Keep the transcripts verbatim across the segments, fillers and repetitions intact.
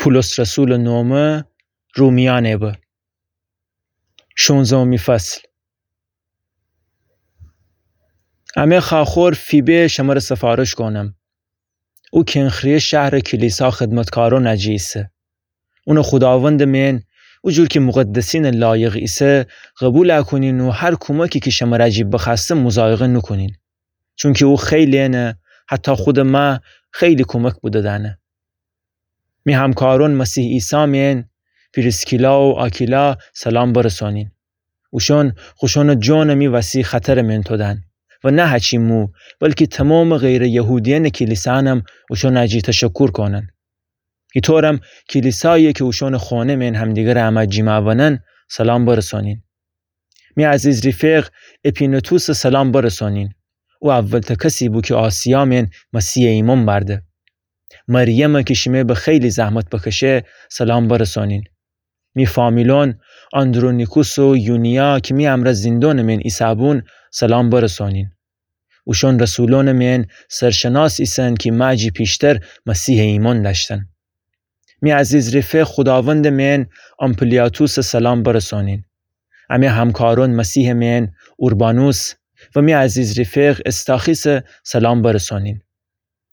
پولس رسولٚ نومه رومیأنٚ به. شونزدهمی فصل. امه خاخور فیبه شمره سفارش کونم. او کنخریه شهرٚ کلیسا خدمتکارونٚ جی ایسه. اونٚ خوداوندٚ مئن، او جور کی مقدسینٚ لایق ایسه، قبول کونین و هر کومکی کی شمره جی بخوأسته مضایقه نوکونین. چونکی او خیلی انه، حتی خودٚ مه خیلی کومک بوده‌دأنه. می همکارون مسیح عیسی مئن، پریسکیلا و آکیلا سلام برسونین. اوشون خوشونٚ جونٚ می وسی خطرٚ مئن تودن و نه هچی مو، بلکی تومامٚ غیرٚ یهودیأنٚ کلیسانم اوشونٚ جی تشکر کونن. ایطورم کلیسایی کی اوشونٚ خونه مئن همدیگرٚ امه جیما بنن سلام برسونین. می عزیز ریفق اپینتوسٚ سلام برسونین. او اولته کسی بو کی آسیا مئن مسیحٚ ایمأن بأرده. مریم کی شیمه به خیلی زحمت بکشه سلام برسونین. می فامیلون آندرونیکوس و یونیا کی می امرأ زیندونٚ مئن ایسه‌بون سلام برسونین. اوشون رسولونٚ مئن سرشناس ایسن کی مه جی پیشتر مسیحٚ ایمأن دأشتن. می عزیز ریفق خوداوندٚ مئن آمپلیاتوسٚ سلام برسونین. امه همکارون مسیحٚ مئن اوربانوس و می عزیز ریفق استاخیسٚ سلام برسونین.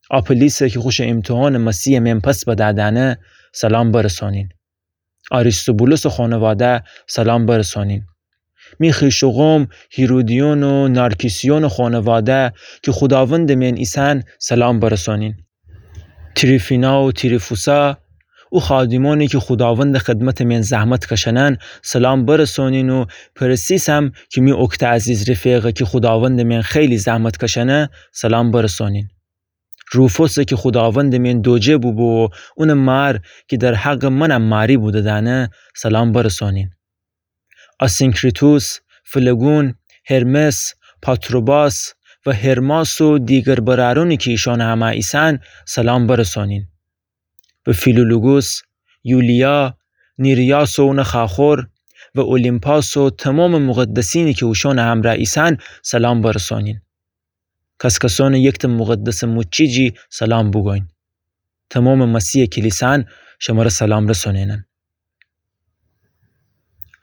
آپلیسٚ کی خوشٚ ایمتحانٚ مسیحٚ مئن پس بدأدأنه سلام برسونین. آریستوبولوسٚ خونواده سلام برسونین. می خویش و قوم هیرودیون و نارکیسیونٚ خونواده کی خوداوندٚ مئن ایسن سلام برسونین. تریفینا و تریفوسا، او خادیمونی کی خوداوندٚ خدمتٚ مئن زحمت کشنن سلام برسونین و پرسیسم کی می اوکته عزیز ریفقه کی خوداوندٚ مئن خیلی زحمت کشنه سلام برسونین. روفوسه کی خوداوندٚ مئن دوجه بوبو و اونٚ مار کی در حقٚ منم ماری بوده‌دأنه سلام برسونین. آسینکریتوس، فلگون، هرمس، پاتروباس و هرماس و دیگر برأرونی کی ایشانٚ همه ایسن سلام برسونین. و فیلولوگوس، یولیا، نیریاس و اونٚ خاخور و اولیمپاس و تومامٚ مقدسینی کی اوشانٚ همرأ ایسن سلام برسونین. کس‌کسونٚ یکتأ مقدسٚ موچی جی سلام بوگوین. تومامٚ مسیحٚ کلیسان شمره سلام رسونینن.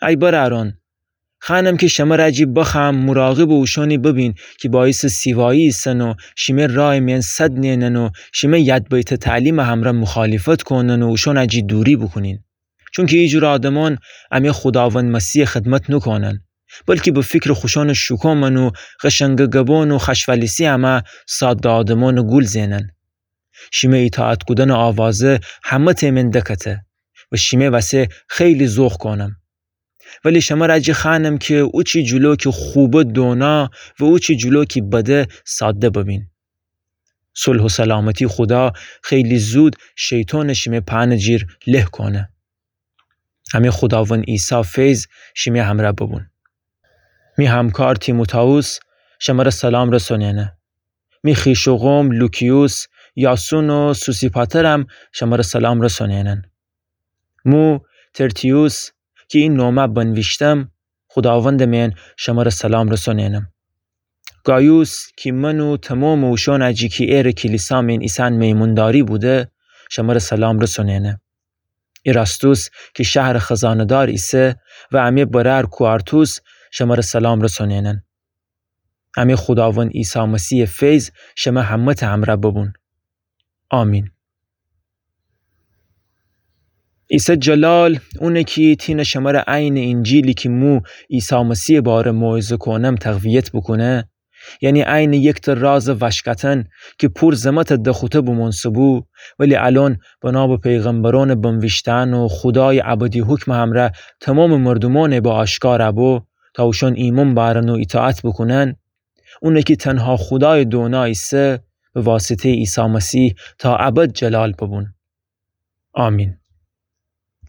ای برأرون، خوأنم کی شمره جی بخوأم مراقبٚ اوشونی ببین کی باعثٚ سیوایی ایسن و شیمه رایٚ مئن سد نئنن و شیمه یدبیتٚ تعلیمٚ همرأ مخالفت کونن و اوشونٚ جی دوری بوکونین. چونکی ایجور آدمأن امه خوداوند مسیحٚ خدمت نوکونن، بلکی به فیکرٚ خوشانٚ شوکومن و قشنگٚ گبأن و خوأشولیسی امه ساده آدمأنٚ گول زئنن. شیمه ایطاعت کودنٚ آوازه همه‌تأ مئن دکته و شیمه وسه خیلی ذوق کونم. ولی شمره جی خوأنم کی اوچی جلو کی خوبه دونا و اوچی جلو کی بده ساده ببین. صلح و سلامتی خودا خیلی زود شیطانٚ شیمه پنٚ جیر له کونه. امه خوداوند عیسی فیض شیمه همرأ ببون. می همکار تیموتائوس شمره سلام رسونینه. می خویش و قوم لوکیوس، یاسون و سوسیپاترم شمره سلام رسونینن. مو ترتیوس کی ای نومه بنویشتم، خوداوندٚ مئن شمره سلام رسونینم. گایوس کی من و تومامٚ اوشانٚ جی کی ایرٚ کلیسا مئن ایسن میمونداری بوده، شمره سلام رسونینه. ایراستوس کی شهرٚ خزانه‌دار ایسه و امه برأر کوارتوس شمره سلام رسونینن. امه خوداوند عیسی مسیحٚ فیض شمه همه‌تأ همرأ ببون. آمین. عیسی جلال، اونه کی تینه شمره عینٚ اینجیلی کی مو عیسی مسیحٚ باره موعظه کونم تقویت بوکونه، یعنی عینٚ یکتأ رازٚ وشکتن کی پور زمتٚ دخوته بومونسه‌بو، ولی الأن بنا به پیغمبرونٚ بنویشتن و خودایٚ ابدی حکمٚ همرأ تومامٚ مردومأنٚ به آشکار بو، تا اوشأن ایمأن بأرن و ایطاعت بوکونن، اونه کی تنها خودایٚ دونا ایسه، به واسطه‌یٚ عیسی مسیح تا ابد جلال ببون. آمین.